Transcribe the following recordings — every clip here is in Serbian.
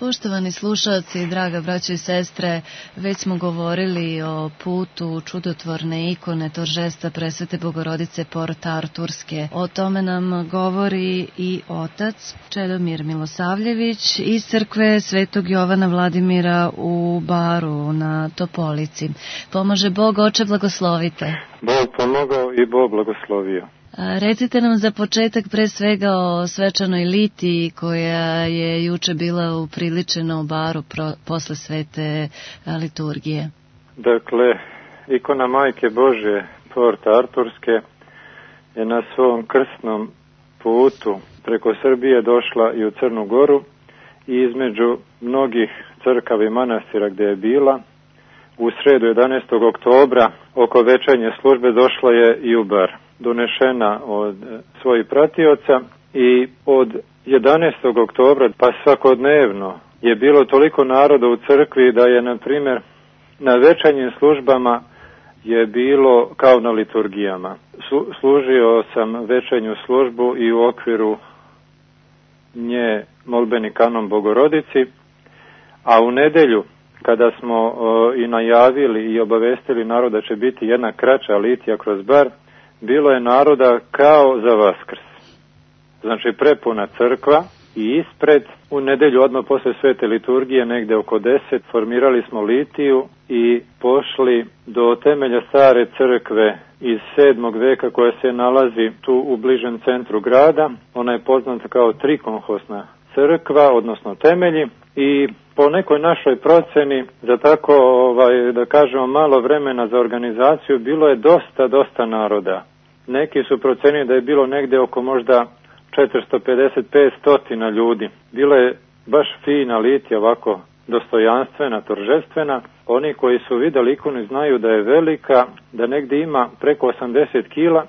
Poštovani slušalci, draga braćo i sestre, već smo govorili o putu čudotvorne ikone Toržesta Presvete Bogorodice Port Arturske. O tome nam govori i otac Čedomir Milosavljević iz crkve Svetog Jovana Vladimira u Baru na Topolici. Pomaže Bog, oče, blagoslovite. Bog pomogao i Bog blagoslovio. Recite nam za početak pre svega o svečanoj litiji koja je juče bila upriličena u Baru posle svete liturgije. Dakle, ikona Majke Božje Port Arturske je na svom krstnom putu preko Srbije došla i u Crnu Goru i između mnogih crkava i manastira gde je bila, u sredu 11. oktobra oko večernje službe došla je i u Bar. Donešena od svojih pratioca i od 11. oktobra pa svakodnevno je bilo toliko naroda u crkvi da je, na primjer, na večernjim službama je bilo kao na liturgijama. Služio sam večernju službu i u okviru nje molbeni kanon Bogorodici, a u nedelju kada smo i najavili i obavestili narod da će biti jedna kraća litija kroz Bar, bilo je naroda kao za Vaskrs. Znači prepuna crkva i ispred, u nedelju odmah posle svete liturgije, negde oko 10, formirali smo litiju i pošli do temelja stare crkve iz 7. veka koja se nalazi tu u bližem centru grada. Ona je poznata kao trikonhosna crkva, odnosno temelji, i po nekoj našoj proceni za tako, da kažemo, malo vremena za organizaciju bilo je dosta naroda. Neki su procenili da je bilo negde oko možda 450-500 ljudi. Bila je baš fina litija, ovako dostojanstvena, toržestvena. Oni koji su videli ikonu znaju da je velika, da negde ima preko 80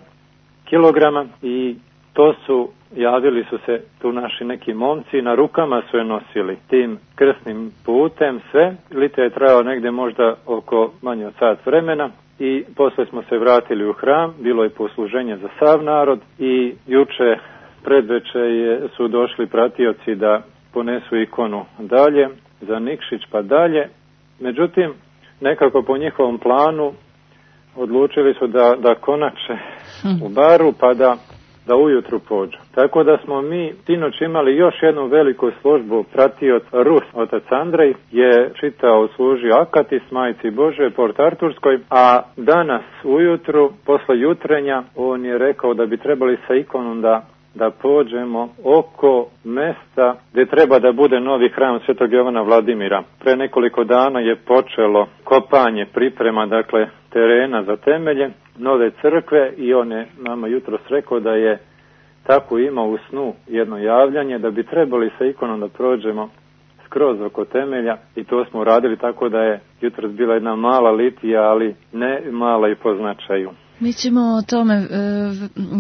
kilograma i to su, javili su se tu naši neki momci, na rukama su je nosili tim krstnim putem sve. Litija je trajala negde možda oko manje od sat vremena i posle smo se vratili u hram, bilo je posluženje za sav narod i juče predveče su došli pratioci da ponesu ikonu dalje, za Nikšić pa dalje. Međutim, nekako po njihovom planu odlučili su da konače u Baru pa da ujutru pođu. Tako da smo mi sinoć imali još jednu veliku službu. Pratioc Rus, otac Andrej, je čitao, služio Akatis Majci Božje Port Arturskoj, a danas ujutru, posle jutrenja, on je rekao da bi trebali sa ikonom da pođemo oko mesta gde treba da bude novi hram Svetog Jovana Vladimira. Pre nekoliko dana je počelo kopanje, priprema, dakle, terena za temelje nove crkve i on je nama jutros rekao da je tako imao u snu jedno javljanje da bi trebali sa ikonom da prođemo skroz oko temelja i to smo uradili, tako da je jutros bila jedna mala litija, ali ne mala i po značaju. Mi ćemo o tome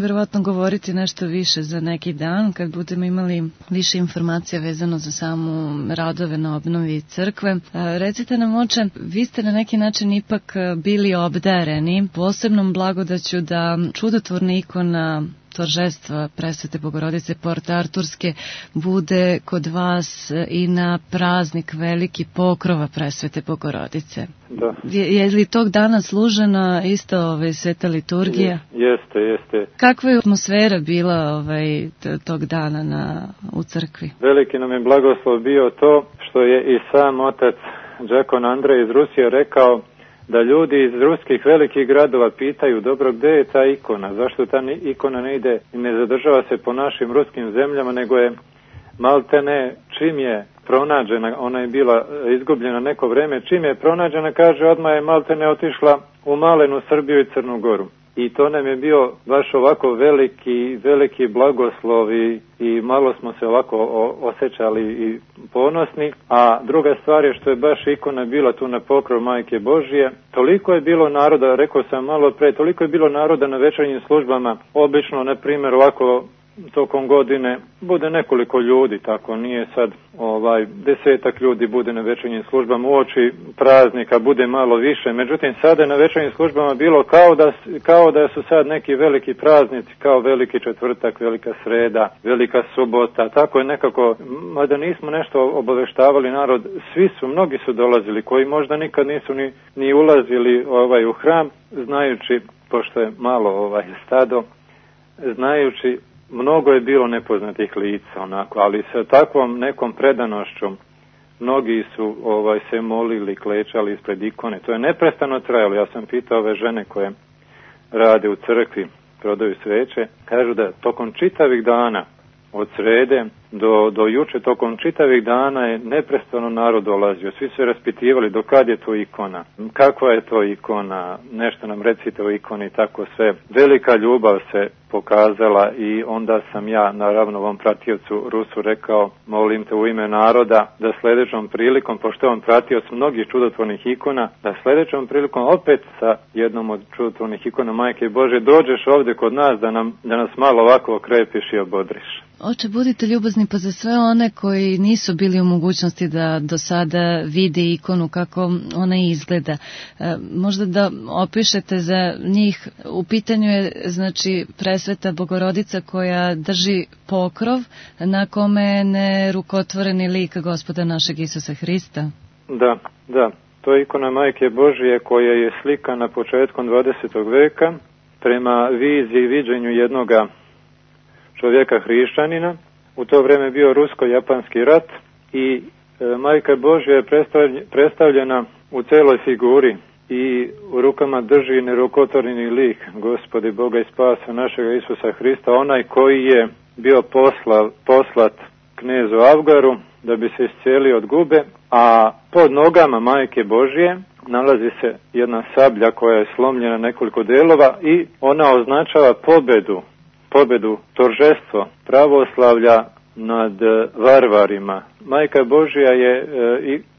verovatno govoriti nešto više za neki dan, kad budemo imali više informacija vezano za samu radove na obnovi crkve. Recite nam, oče, vi ste na neki način ipak bili obdareni posebnom blagodaću da čudotvorna ikona Toržestva Presvete Bogorodice Port Arturske bude kod vas i na praznik veliki Pokrova Presvete Bogorodice. Da. Je li tog dana služena isto sveta liturgija? Jeste. Kakva je atmosfera bila tog dana u crkvi? Veliki nam je blagoslov bio to što je i sam otac Đakon Andrej iz Rusije rekao da ljudi iz ruskih velikih gradova pitaju, dobro, gde je ta ikona, zašto ta ikona ne ide i ne zadržava se po našim ruskim zemljama, nego je maltene čim je pronađena, ona je bila izgubljena neko vreme, čim je pronađena, kaže, odmah je maltene otišla u malenu Srbiju i Crnu Goru. I to nam je bio baš ovako veliki blagoslov i malo smo se ovako osjećali i ponosni. A druga stvar je što je baš ikona bila tu na pokrov Majke Božje. Toliko je bilo naroda, rekao sam malo pre, toliko je bilo naroda na večernjim službama. Obično, na primjer, ovako tokom godine bude nekoliko ljudi, tako nije sad 10 ljudi bude na večernjim službama, uoči praznika bude malo više, međutim sada je na večernjim službama bilo kao da su sad neki veliki praznici, kao veliki četvrtak, velika sreda, velika subota, tako je nekako, mada nismo nešto obaveštavali narod, mnogi su dolazili koji možda nikad nisu ni ulazili u hram, znajući, pošto je malo stado, znajući, mnogo je bilo nepoznatih lica, ali sa takvom nekom predanošću mnogi su se molili, klečali ispred ikone. To je neprestano trajalo. Ja sam pitao ove žene koje rade u crkvi, prodaju sveće, kažu da tokom čitavih dana, od srede do juče, tokom čitavih dana je neprestano narod dolazio. Svi su raspitivali do kad je to ikona, kakva je to ikona, nešto nam recite o ikoni i tako sve. Velika ljubav se pokazala i onda sam ja, naravno ovom pratiocu Rusu rekao, molim te u ime naroda da sljedećom prilikom, pošto on pratioc mnogih čudotvornih ikona, da sljedećom prilikom opet sa jednom od čudotvornih ikona Majke Božje dođeš ovdje kod nas da nas malo ovako okrepiš i obodriš. Oče, budite ljubazni pa za sve one koji nisu bili u mogućnosti da do sada vide ikonu kako ona izgleda. Možda da opišete za njih, u pitanju je znači Presveta Bogorodica koja drži pokrov na kome je nerukotvoreni lik Gospoda našeg Isusa Hrista. Da. To je ikona Majke Božje koja je slikana početkom 20. veka prema viziji i viđenju jednoga čovjeka hrišćanina. U to vrijeme bio rusko-japanski rat i Majka Božja je predstavljena u celoj figuri i u rukama drži nerukotvoreni lik Gospodi Boga i spasa našega Isusa Hrista, onaj koji je bio poslat knezu Avgaru da bi se iscijelio od gube, a pod nogama Majke Božje nalazi se jedna sablja koja je slomljena nekoliko delova i ona označava pobedu, торжество pravoslavlja nad varvarima. Majka Božja je,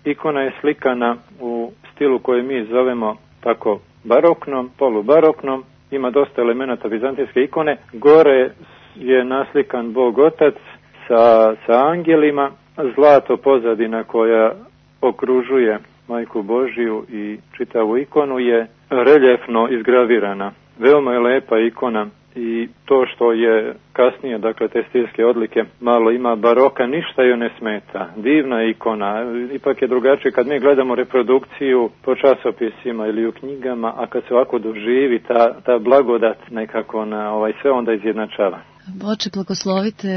ikona je slikana u stilu koji mi zovemo tako baroknom, polubaroknom, ima dosta elemenata vizantijske ikone. Gore je naslikan Bog Otac sa angelima, zlato pozadina koja okružuje Majku Božju i čitavu ikonu je reljefno izgravirana. Veoma je lepa ikona. I to što je kasnije, dakle te stilske odlike, malo ima baroka, ništa joj ne smeta. Divna ikona, ipak je drugačije kad mi gledamo reprodukciju po časopisima ili u knjigama, a kad se ovako doživi ta blagodat nekako na sve onda izjednačava. Oče, blagoslovite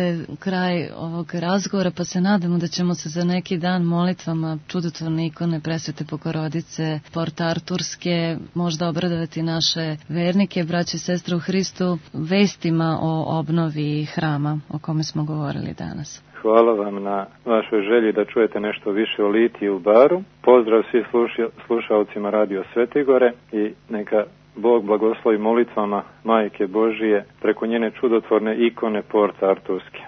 kraj ovog razgovora, pa se nadamo da ćemo se za neki dan molitvama čudotvorne ikone Presvete Bogorodice, Port Arturske, možda obradovati naše vernike, braće i sestre u Hristu, vestima o obnovi hrama o kome smo govorili danas. Hvala vam na vašoj želji da čujete nešto više o litiji u Baru. Pozdrav svih slušalcima Radio Svetigore i neka Bog blagoslovi molitvama Majke Božije preko njene čudotvorne ikone Port Arturske.